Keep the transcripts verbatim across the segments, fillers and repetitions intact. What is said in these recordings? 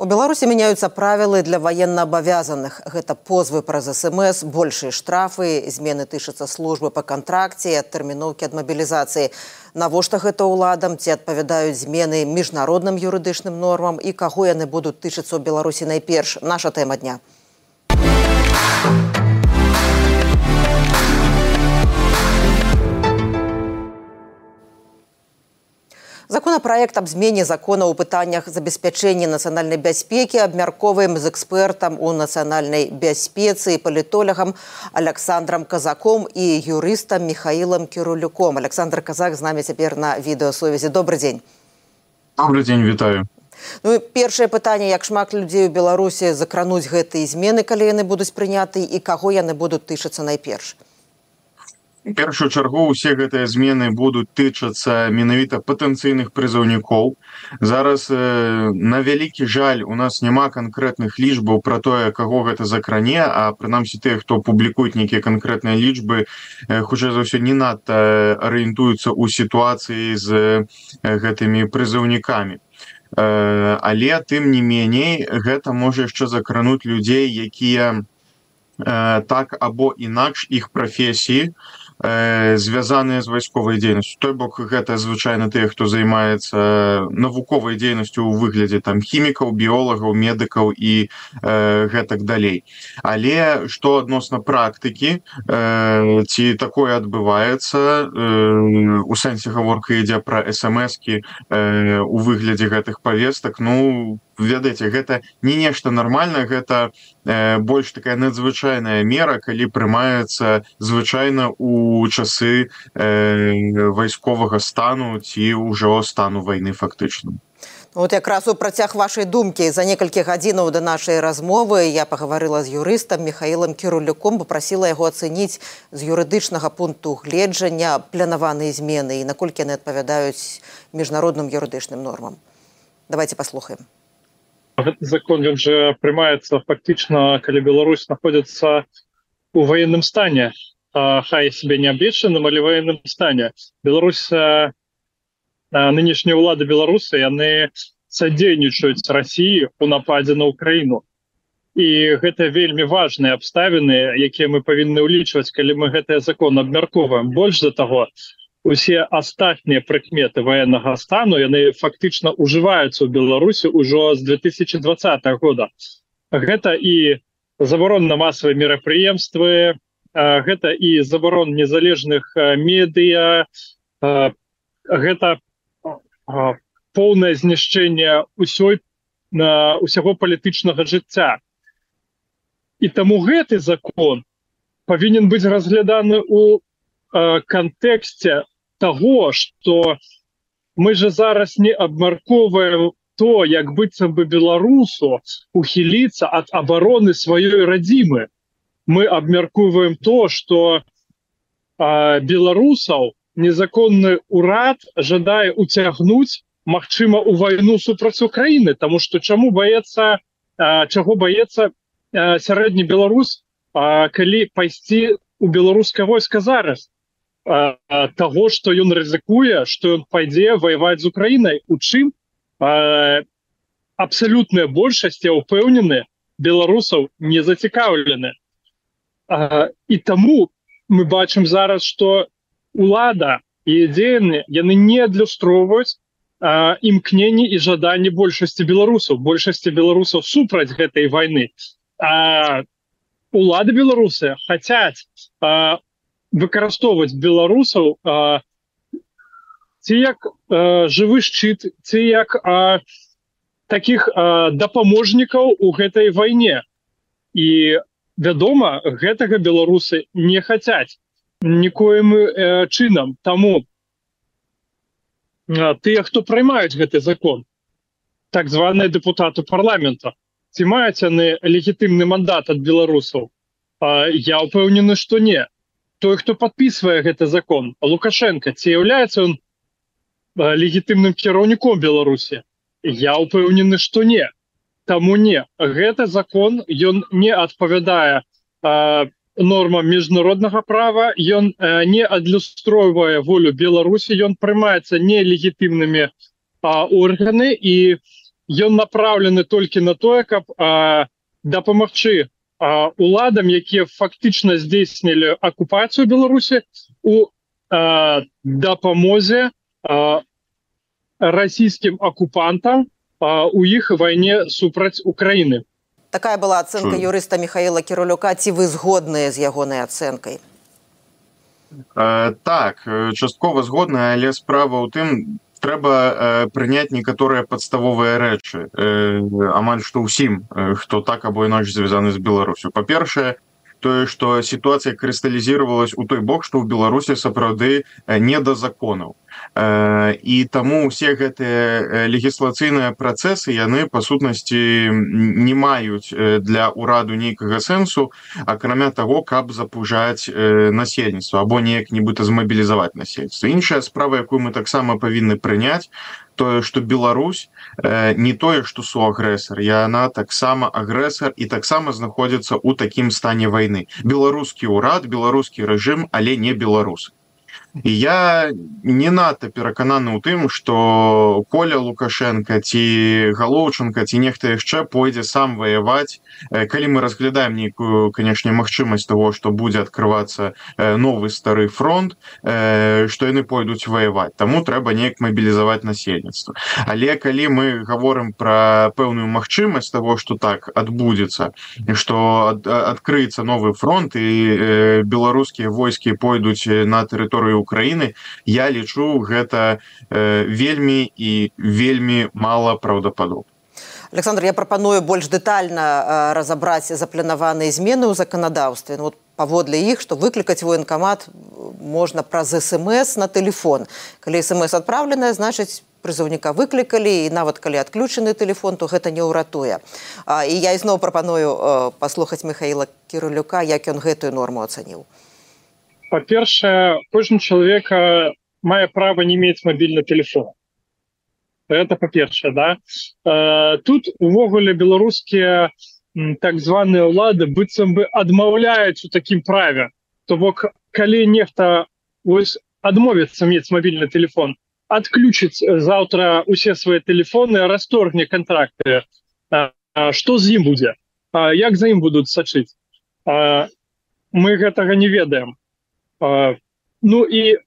У Беларусі меняются правілы для военнообовязанных. Гэта позвы праз СМС, большие штрафы, змены тычацца службы по контракце, адтэрміноўкі ад мобілізацыі. Навошта гэта ўладам, ці адпавядаюць змены міжнародным юрыдычным нормам і каго яны будуць тычыцца ў Беларусі найперш? Наша тэма дня. Законопроект об змене закона ў пытаннях забеспячэння нацыянальнай бяспекі абмярковаем з экспертам у нацыянальнай бяспецы і палітолагам Александром Казаком і юрыстам Михаилом Кирулюком. Александр Казак з намі цяпер на відэасувязі. Добрый дзень. Добрый дзень, вітаю. Ну, першае пытанне, як шмат людзей у Беларусі закрануць гэтыя змены, калі яны будуць прыняты, і каго яны будуць тычыцца найперш? У першую чаргу усе гэтыя змены будуць тычацца менавіта патэнцыйных прызыўнікоў. Зараз, э, на вялікі жаль, у нас няма канкрэтных лічбаў пра тое, каго гэта закране, а прынамсі тыя, хто публікуюць нейкія канкрэтныя лічбы, э, хутчэй за ўсё не надта арыентуюцца ў сітуацыі з э, гэтымі прызыўнікамі. Э, але, тым не меней, гэта можа яшчэ закрануць людзей, якія э, так або інакш іх прафесіі звязаныя з вайсковай дзейнасцю. Той бок гэта звычайна тыя, хто займаецца навуковай дзейнасцю ў выглядзе там хімікаў, біолагаў, медыкаў і э, гэтак далей. Але што адносна практыкі, э, ці такое адбываецца, э, у сэнсе гаворка ідзе пра эс-эм-эскі э, у выглядзе гэтых павестак, ну, ведаеце, гэта не нешта нармальнае, гэта э, больш такая надзвычайная мера, калі прымаецца звычайна у часы э, вайсковага стану ці ўжо стану вайны фактычна. Вот якраз у працяг вашай думкі. За некалькі гадзінаў да нашай размовы я пагаварыла з юрыстам Михаилом Кирулюком, папрасіла яго ацэніць з юрыдычнага пункту гледжання планаваныя змены і наколькі яны адпавядаюць міжнародным юрыдычным нормам. Давайте паслухаем. Гэты закон, ён же прымаецца фактычна, калі Беларусь знаходзіцца у военным стане, а, хай себе не абвешчаным, але военным стане. Беларусь, а, нынешнія ўлады Беларусы, яны садзейнічаюць Расіі у нападзе на Украіну. І гэта вельмі важныя абставіны, якія мы павінны ўлічваць, калі мы гэты закон абмярковаем. Больш за таго, усе астатнія прыкметы военнага стану, яны фактычна ўжываюцца ў Беларусі ўжо з две тысячи двадцатого года. Гэта і забарон на масавыя мерапрыемствы, гэта і забарон незалежных медыя, гэта поўнае знішчэнне ўсёй, усяго палітычнага жыцця. І таму гэты закон павінен быць разгляданы ў кантэксце того, что мы же зараз не абмярковаем то, як быццам бы беларусу ухіліцца ад абароны сваёй радзімы. Мы абмяркоўваем то, что а, беларусаў незаконны ўрад жадае уцягнуць, магчыма, у вайну супраць Украіны, таму што чаму баецца, а, чаго баецца а, сярэдні беларус, а, калі пайсці у беларускае войска зараз? Того, што ён рызыкуе, што ён пойдзе воеваць з Украінай, у чым а, абсалютная большасць, я ўпэўнены, беларусаў не зацікаўлены. А, і таму мы бачым зараз, што улада і дзеянні, яны не адлюстроўваюць а, імкненні і жаданні большасці беларусаў, большасці беларусаў супраць гэтай вайны. А улады беларусы хацяць а, выкарыстоўваць беларусаў а, ці як а, жывы шчыт, ці як а, такіх а, дапаможнікаў у гэтай вайне. І, вядома, гэтага беларусы не хацяць нікоім а, чынам. Таму а, тыя, хто прымаюць гэты закон, так званыя дэпутаты парламента, ці маюць яны легітымны мандат ад беларусаў? А, я ўпэўнены, што не. Той, хто падпісвае гэты закон, Лукашенко, ці з'яўляецца ён легітымным кіраўніком Беларусі? Я ўпэўнены, што не. Таму не. Гэты закон, ён не адпавядае а, нормам міжнароднага права, ён а, не адлюстроўвае волю Беларусі, ён прымаецца нелегітымнымі а, органы, і ён направлены толькі на тое, каб а, дапамагчы а, уладам, якія фактычна здзейснілі акупацыю Беларусі у а, дапамозе а, расійскім акупантам а, у іх вайне супраць Украіны. Такая была ацэнка юрыста Михаіла Кірулюка. Ці вы згодныя з ягонай ацэнкай? Э, так, часткова згодна, але справа ў тым, трэба э, прыняць некаторыя падставовыя рэчы, э, амаль што ўсім, э, хто так або інакш звязаны з Беларусю. Па-першае, тое, што сітуацыя крысталізіравалась у той бок, што ў Беларусі сапраўды не да законаў. І таму ўсе гэтыя легіслацыйныя працэсы, яны, па сутнасці, не маюць для ўраду нейкага сэнсу, акрамя таго, каб запужаць насельніцтва або неяк нібыта змабілізаваць насельніцтва. Іншая справа, якую мы таксама павінны прыняць, тое, што Беларусь не тое, што суагрэсар, яна таксама агрэсар і таксама знаходзіцца ў такім стане вайны. Беларускі ўрад, беларускі рэжым, але не беларусы. І я не надта перакананы ў тым, што Коля Лукашенко ці Галоўченко ці нехта яшчэ пойдзе сам ваяваць, калі мы разглядаем нейкую, канешне, магчымасць того, што будзе адкрывацца новы стары фронт, што яны пойдуць ваяваць. Таму трэба неяк мабілізаваць насельніцтва. Але калі мы гаворым пра пэўную магчымасць того, што так адбудзецца, што адкрыецца новы фронт і беларускія войскі пойдуць на тэрыторыю Украіны, я лічу, гэта э, вельмі і вельмі мала праўдападобна. Александр, я прапаную больш дэтальна э, разабраць запланаваныя змены ў заканадаўстве. Ну, вот, паводле іх, што выклікаць военкамат можна праз эс-эм-эс на тэлефон. Калі эс-эм-эс адпраўленая, значыць, прызыўніка выклікалі, і нават калі адключаны тэлефон, то гэта не ўратуе. А, і я ізноў прапаную э, паслухаць Михаіла Кірулюка, як ён гэтую норму ацаніў. По-перше, кожен чоловік має право не мати мобільний телефон. Це по-перше, да? Тут увогуле білоруські так звані влади быццам би адмаўляюць у такім праве. То бок, калі нехта ось адмовіцца мець мобільны телефон, адключыць заўтра усе свае телефоны, расторгне контракты, што з ім будзе? Як за ім будуць сачыць? Мы гэтага не ведаем. Uh, ну і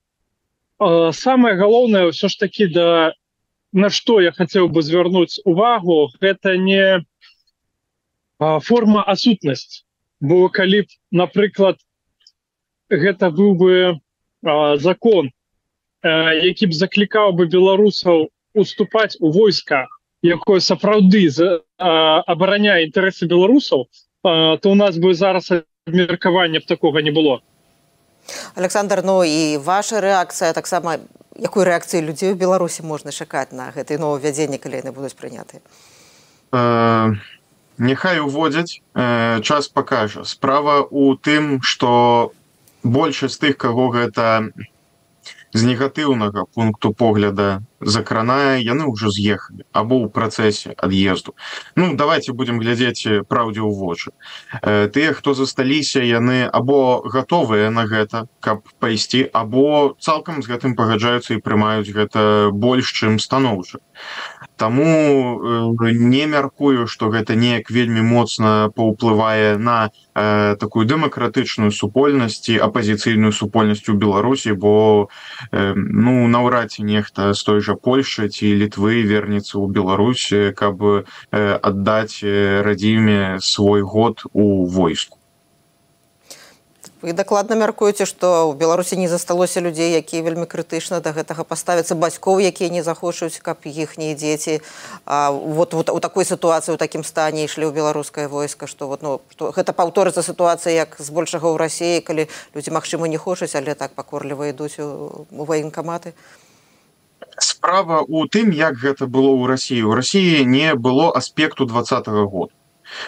uh, самае галоўнае ўсё ж такі, да, на што я хацеў бы звярнуць увагу, гэта не uh, форма асутнасць. Бо калі б, напрыклад, гэта быў бы uh, закон, uh, які б заклікаў бы беларусаў уступаць у войска, якое сапраўды uh, абараняе інтарэсы беларусаў, uh, то у нас бы зараз абмеркавання б такога не было. Александр, ну і ваша рэакцыя, таксама, якой рэакцыі людзей у Беларусі можна чакаць на гэтыя новаўвядзенні, калі яны будуць прынятыя? Э, няхай уводзяць, э, час пакажа. Справа ў тым, што большасць тых, каго гэта з негатыўнага пункту погляда закранае, яны ўжо з'ехалі або ў працэсе ад'езду. Ну, давайте будем глядзець праўдзе ў вочы. Э, тыя, хто засталіся, яны або гатовыя на гэта, каб пайсці, або цалкам з гэтым пагаджаюцца і прымаюць гэта больш, чым станоўча. Таму э, не мяркую, што гэта неяк вельмі моцна паўплывае на э, такую дэмакратычную супольнасць і апазіцыйную супольнасць у Беларусі, бо э, ну, наўрад ці нехта з той жа Польшчы ці Літвы вернецца ў Беларусь, каб э, аддаць радзіме свой год у войску. Вы дакладна мяркуеце, што ў Беларусі не засталося людзей, якія вельмі крытычна да гэтага паставяцца, бацькоў, якія не захочуць, каб іхнія дзеці а, вот, вот у такой сітуацыі, у такім стане ішлі ў беларускае войска, што, вот, ну, што гэта паўторыцца сітуацыя, як збольшага ў Расіі, калі людзі, магчыма, не хочуць, але так пакорліва ідуць у, у военкаматы? Справа ў тым, як гэта было ў Расіі. У Расіі не было аспекту двадцатага года.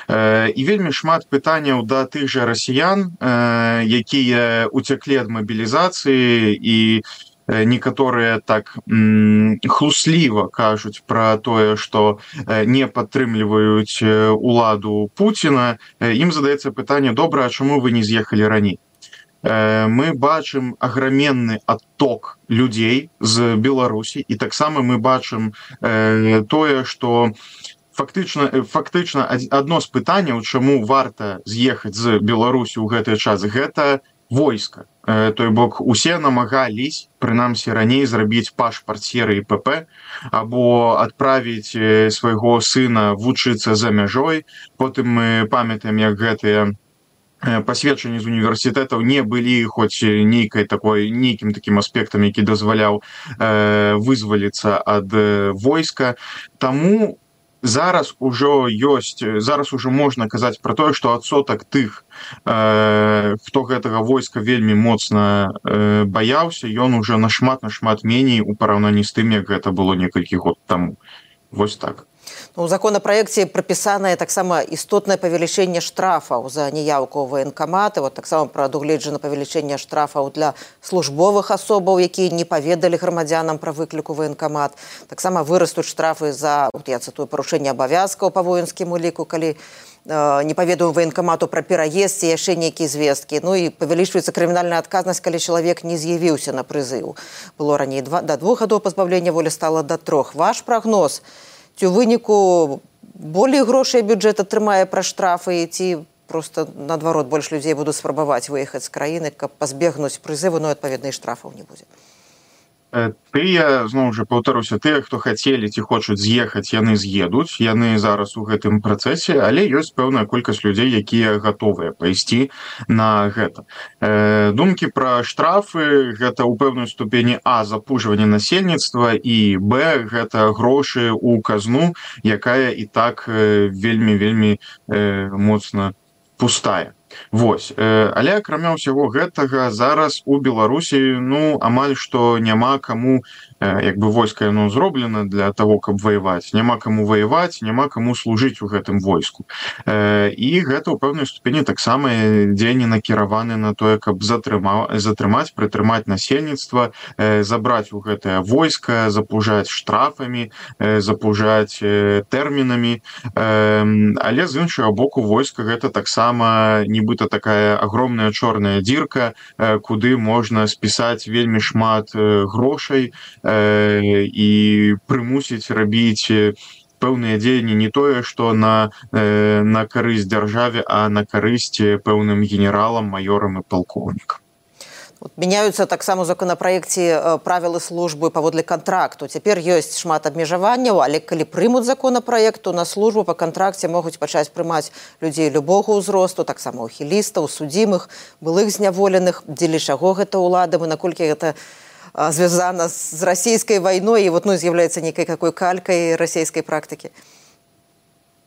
І вельмі шмат пытанняў да тых жа расіян, якія уцяклі ад мабілізацыі, і некаторыя так хлусліва кажуць пра тое, што не падтрымліваюць уладу Пуціна. Ім задаецца пытанне: добра, а чаму вы не з'ехалі раней? Мы бачым аграменны адток людзей з Беларусі, і таксама мы бачым тое, што фактычна фактычна адно з пытанняў, чаму варта з'ехаць з Беларусі ў гэты час, гэта войска. Той бок усе намагались, прынамсі раней, зрабіць пашпарт серыі ПП або адправіць свайго сына вучыцца за мяжой. Потым мы памятаем, як гэтыя пасведчанні з універсітэтаў не былі хоць нейкай такой нейкім такім аспектам, які дазваляў э, вызваліцца ад войска. Таму зараз ужо ёсць, зараз ужо можна казаць пра тое, што адсотак тых, э, хто гэтага войска вельмі моцна э, баяўся, ён ужо нашмат нашмат меней у параўнанні з тым, як гэта было некалькі год таму. Вось так. У законапраекце прапісанае таксама істотнае павелічэнне штрафаў за неяўку ў ваенкаматы. Вот таксама прадугледжана павелічэнне штрафаў для службовых асобаў, якія не паведалі грамадзянам пра выклік у ваенкамат. Таксама вырастуць штрафы за, вот я цытую, парушэнне абавязкаў па воінскім уліку, калі э, не паведаю ваенкамату пра пераезд ці яшчэ нейкія звесткі. Ну і павялічваецца крымінальная адказнасць, калі чалавек не з'явіўся на прызыў. Было раней два, да двух гадоў пазбаўлення волі, стала да трох. Ваш прагноз, ці ў выніку болей грошай бюджэт атрымае пра штрафы, ці проста наадварот больш людзей будуць спрабаваць выехаць з краіны, каб пазбегнуць прызыву, ну і адпаведна і штрафаў не будзе? Тыя, зноў жа паўтаруся, тыя, хто хацелі ці хочуць з'ехаць, яны з'едуць, яны зараз у гэтым працэсе, але ёсць пэўная колькасць людзей, якія гатовыя пайсці на гэта. Э, думкі пра штрафы, гэта ў пэўнай ступені а, запужванне насельніцтва, і б, гэта грошы ў казну, якая і так вельмі-вельмі э, моцна пустая. Вось, але акрамя ўсяго гэтага зараз у Беларусі, ну, амаль што няма каму, як бы войска яно зроблена для того, каб ваяваць, няма каму ваяваць, няма каму служыць у гэтым войску. І гэта ў пэўнай ступені таксама дзеянні накіраваны на тое, каб затрымаць, прытрымаць насельніцтва, забраць у гэтае войска, запужаць штрафамі, запужаць тэрмінамі. Але з іншага боку, войска гэта таксама нібыта такая агромная чорная дзірка, куды можна спісаць вельмі шмат грошай і прымусіць рабіць пэўныя дзеянні не тое, што на, на карысць дзяржаве, а на карысць пэўным генералам, маёрам і палкоўнікам. Вот, мяняюцца таксама у законапраекце правілы службы паводле кантракту. Цяпер ёсць шмат абмежаванняў, але калі прымуць законапраект, то на службу па кантракце могуць пачаць прымаць людзей любога ўзросту, таксама ухілістаў, судзімых, былых зняволеных. Дзеля чаго гэта ўладам і наколькі гэта звязана з расійскай вайной і вот, ну, з'яўляецца нейкай какой калькай расійскай практыкі?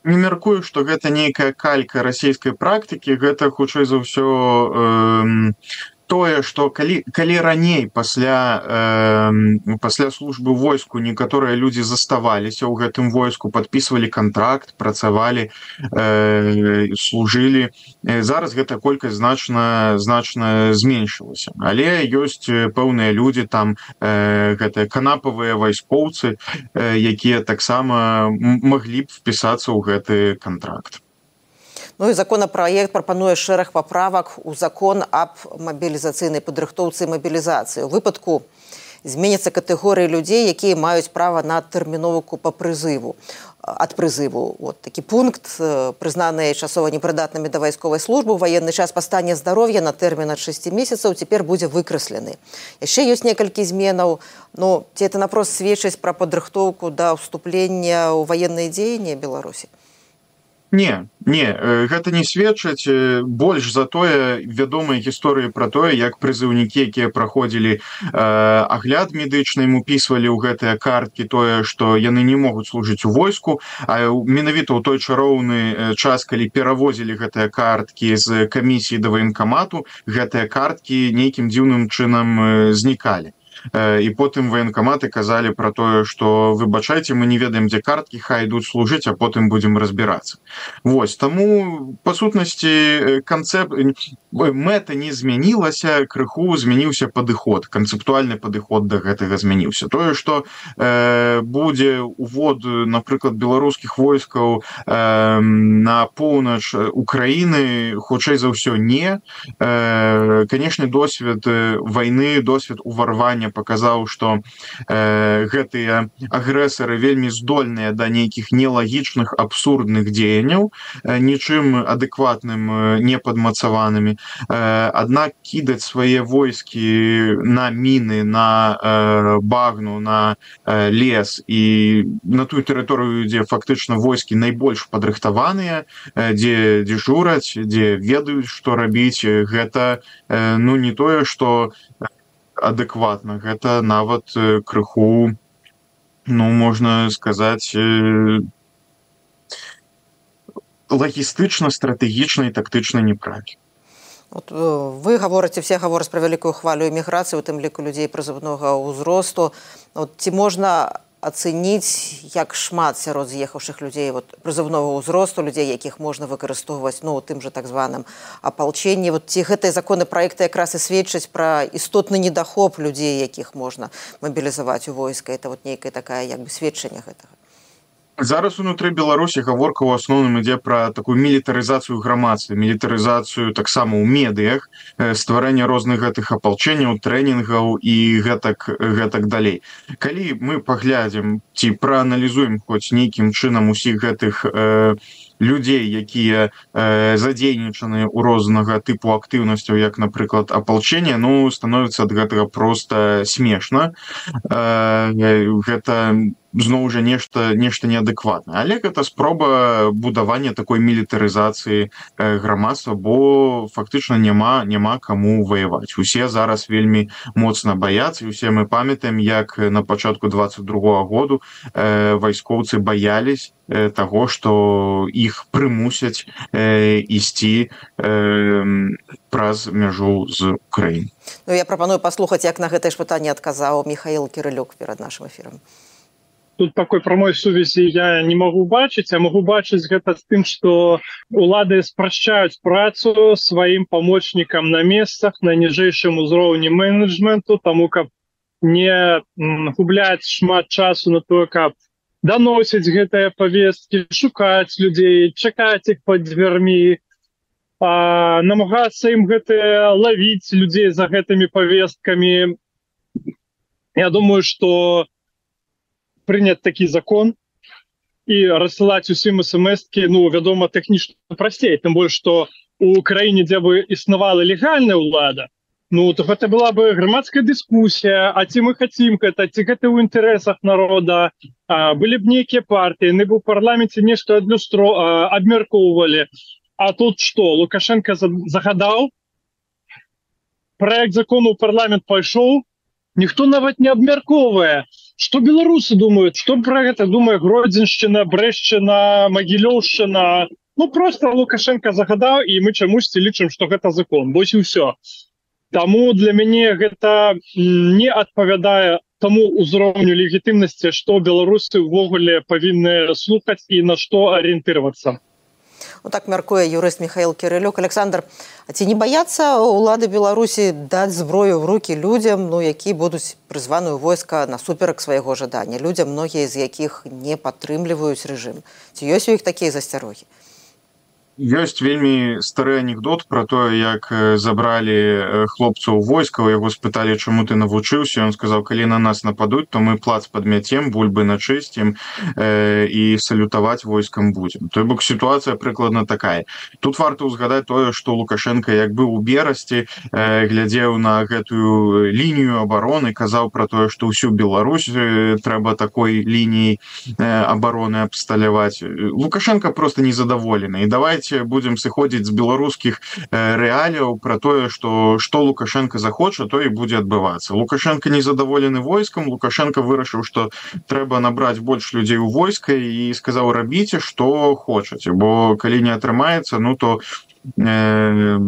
Не мяркую, што гэта нейкая калька расійскай практыкі, гэта хутчэй за ўсё э, тое, што калі, калі раней пасля, э, пасля службы войску некаторыя людзі заставаліся ў гэтым войску, падпісвалі кантракт, працавалі, э, служылі, зараз гэта колькасць значна, значна зменшылася. Але ёсць пэўныя людзі, там э, гэтыя канапавыя вайскоўцы, э, якія таксама маглі б впісацца ў гэты кантракт. Ну і законапраект прапануе шэраг паправак у закон аб мабілізацыйнай падрыхтоўцы і мабілізацыі. У выпадку зменяцца катэгорыі людзей, якія маюць права на тэрміновку па прызыву, ад прызыву. Вот такі пункт, прызнаныя часова непрыдатнымі да вайсковай службы ў ваенны час па стане здароўя на тэрмін ад шасці месяцаў цяпер будзе выкрэслены. Яшчэ ёсць некалькі зменаў. Ну, ці это напрост сведчыць пра падрыхтоўку да ўступлення ў ваенныя дзеянні Беларусі? Не, не, гэта не сведчыць, больш за тое вядомыя гісторыі пра тое, як прызыўнікі, якія праходзілі э, агляд медычны, ім упісвалі ў гэтыя карткі тое, што яны не могуць служыць у войску, а менавіта ў той чароўны час, калі перавозілі гэтыя карткі з камісіі да ваенкамату, гэтыя карткі нейкім дзіўным чынам знікалі. І потым ваенкаматы казалі пра тое, што выбачайце, мы не ведаем, дзе карткі, хай ідуць служыць, а потым будзем разбірацца. Вось, таму, па сутнасці, канцэп... мэта не змянілася, крыху змяніўся падыход, канцэптуальны падыход да гэтага змяніўся. Тое, што э, будзе увод, напрыклад, беларускіх войскаў э, на поўнач Украіны, хутчэй за ўсё не. Э, канешне, досвед вайны, досвед уварвання паказаў, што э, гэтыя агрэсары вельмі здольныя да нейкіх нелагічных абсурдных дзеянняў, э, нічым адэкватным э, не падмацаванымі. Э, аднак кідаць свае войскі на міны, на э, багну, на э, лес і на тую тэрыторыю, дзе фактычна войскі найбольш падрыхтаваныя, э, дзе дзежураць, дзе ведаюць, што рабіць, гэта э, ну не тое, што адэкватна, гэта нават э, крыху, ну можна сказаць, э, лагістычна, стратэгічна і тактычна неправільна. От, вы гаворыце, все гавораць пра вялікую хвалю эміграцыі, у тым ліку людзей прызыўнога ўзросту. От, ці можна ацэніць, як шмат сярод з'ехаўшых людзей вот, прызыўнога ўзросту, людзей, якіх можна выкарыстоўваць ну, у тым жа так званым апалчэнні. Вот, ці гэтыя законапраекты якраз і сведчаць пра істотны недахоп людзей, якіх можна мабілізаваць у войска. Это вот нейкая такая як бы сведчанне гэтага. Зараз унутры Беларусі гаворка ў асноўным ідзе пра такую мілітарызацыю грамадства, мілітарызацыю таксама ў медыях, стварэнне розных гэтых апалчэнняў, трэнінгаў і гэтак, гэтак далей. Калі мы паглядзім ці прааналізуем хоць нейкім чынам усіх гэтых э, людзей, якія э, задзейнічаны ў рознага тыпу актыўнасцяў, як, напрыклад, апалчэнне, ну, становіцца ад гэтага проста смешна. Э, гэта зноў жа нешта нешта неадэкватнае, але гэта спроба будавання такой мілітарызацыі грамадства, бо фактычна няма няма каму ваяваць. Усе зараз вельмі моцна баяцца, і усе мы памятаем, як на пачатку дваццаць другога году э, вайскоўцы баялись э, таго, што іх прымусяць э, ісці э, праз мяжу з Украінай. Ну, я прапаную паслухаць, як на гэтае ж пытанне адказаў Михаил Кирилюк перад нашым эфірам. Тут такой прамой сувязі я не магу бачыць, а магу бачыць гэта з тым, што улады спрашчаюць працу сваім памочнікам на месцах, на ніжэйшым узроўні менеджменту, таму каб не губляць шмат часу на тое, каб даносіць гэтыя павесткі, шукаць людзей, чакаць іх пад дзвярмі, а, намагацца ім гэтыя лавіць людзей за гэтымі павесткамі. Я думаю, што прыняць такі закон і рассылаць усім эс-эм-эскі, ну, вядома, тэхнічна прасцей, тым больш, што у краіне, дзе бы існавала легальная ўлада, ну, то гэта была бы грамадская дыскусія, а ці мы хацім гэта, ці гэта ў інтарэсах народа, а, былі б нейкія партыі, яны б у парламенце нешта адлюстро, а, абмяркоўвалі. А тут што, Лукашенко загадаў, праект закону ў парламент пайшоў, ніхто нават не абмяркоўвае. Што беларусы думаюць? Што пра гэта думае Гродзеншчына, Брэшчына, Магілёўшчына? Ну, проста Лукашенко загадаў, і мы чамусьці лічым, што гэта закон. Вось і ўсё. Таму для мяне гэта не адпавядае таму ўзроўню легітымнасці, што беларусы ўвогуле павінны слухаць і на што арыентырвацца. Ну, так мяркуе юрыст Михаил Кирилюк. Александр, а ці не баяцца улады Беларусі даць зброю ў рукі людзям, ну, які будуць прызваны ў войска насуперак свайго жадання? Людзям, многія з якіх не падтрымліваюць рэжым. Ці ёсць у іх такія засцярогі? Ёсць вельмі стары анекдот пра тое, як забралі хлопца ў войска, яго спыталі, чаму ты навучыўся, ён сказаў, калі на нас нападуць, то мы плац падмяцем, бульбы начысцім э, і салютаваць войскам будзем. Той бок сітуацыя прыкладна такая. Тут варта ўзгадаць тое, што Лукашенко, як быў у Берасці, э, глядзеў на гэтую лінію абароны, казаў пра тое, што ўсю Беларусь э, трэба такой лініяй э, абароны абсталяваць. Лукашенко просто незадаволены. І давайте будем сыходзіць з беларускіх э, рэаліяў пра тое, што што Лукашенко захоча, то і будзе адбывацца. Лукашенко незадаволены войскам, Лукашенко вырашыў, што трэба набраць больш людзей у войска і сказаў, рабіце, што хочаце, бо калі не атрымаецца, ну то э,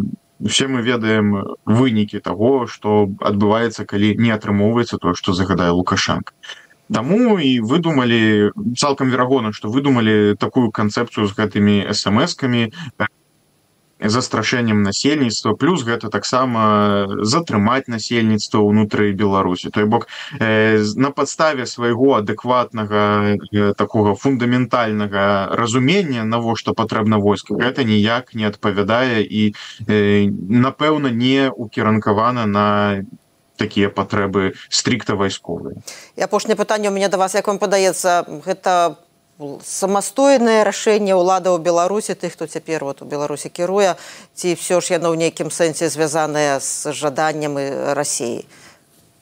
все мы ведаем вынікі таго, што адбываецца, калі не атрымоўваецца тое, што загадае Лукашенко. Таму і выдумалі, цалкам верагодна, што выдумалі такую канцэпцыю з гэтымі эс-эм-эскамі, застрашэннем насельніцтва, плюс гэта таксама затрымаць насельніцтва ўнутры Беларусі. Той бок, э, на падставе свайго адэкватнага, э, такога фундаментальнага разумення, навошта патрэбна войска, гэта ніяк не адпавядае і, э, напэўна, не укеранкавана на такія патрэбы стрикта вайсковыя. І апошняе пытанне у мяне да вас, як вам падаецца, гэта самастойнае рашэнне ўладаў Беларусі, тых, хто цяпер вот у Беларусі кіруе, ці ўсё ж яно ў нейкім сэнсе звязанае з жаданнем Расіі?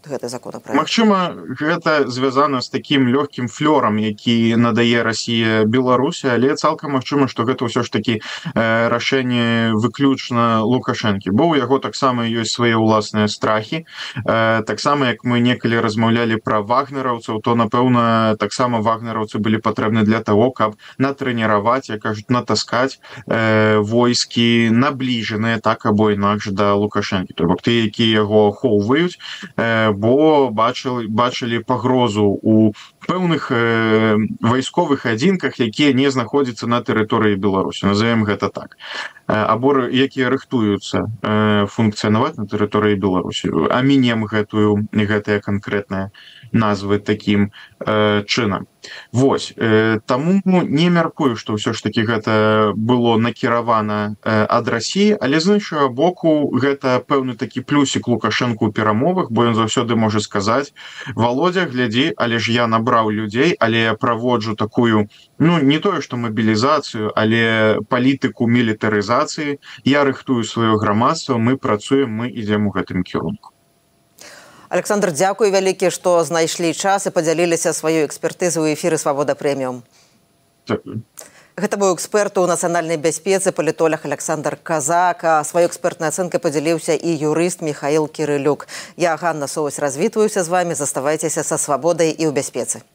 Гэты законопроект. Магчыма, гэта звязана з такім лёгкім флёрам, які надае Расія Беларусі, але цалкам магчыма, што гэта ўсё ж такі э, рашэнне выключна Лукашэнкі. Бо ў яго таксама ёсць свае ўласныя страхі. Э, таксама, як мы некалі размаўлялі пра вагнераўцаў, то, напэўна, таксама вагнераўцы былі патрэбны для таго, каб натрэніраваць, як кажуць, натаскаць э, войскі набліжаныя так або інакш да Лукашэнкі. То бок тыя, якія яго ахоўваюць, э, бо бачылі, бачылі пагрозу у пэўных э, вайсковых адзінках, якія не знаходзяцца на тэрыторыі Беларусі. Назовем гэта так. Э, або якія рыхтуюцца э, функцыянаваць на тэрыторыі Беларусі. А мінем гэтую, гэтыя канкрэтныя назвы такім э, чынам. Вось, э, таму не мяркую, што ўсё ж такі гэта было накіравана э, ад Расіі, але з іншага боку гэта пэўны такі плюсік Лукашэнку ў перамовах, бо ён заўсёды можа сказаць: Володя, глядзі, але ж я набраў людзей, але я праводжу такую, ну, не тое, што мабілізацыю, але палітыку мілітарызацыі, я рыхтую сваё грамадства, мы працуем, мы ідзем у гэтым кірунку. Александр, дзякуй вялікі, што знайшлі час і падзяліліся сваёй экспертызай у эфіры «Свабода Прэміум». Дзякуй. Гэта быў эксперт у нацыянальнай бяспецы, палітолог Александр Казак. А сваёй экспертнай ацэнкай падзяліўся і юрыст Михаил Кірылюк. Я, Ганна Соваць, развітваюся з вамі. Заставайцеся са свабодай і ў бяспецы.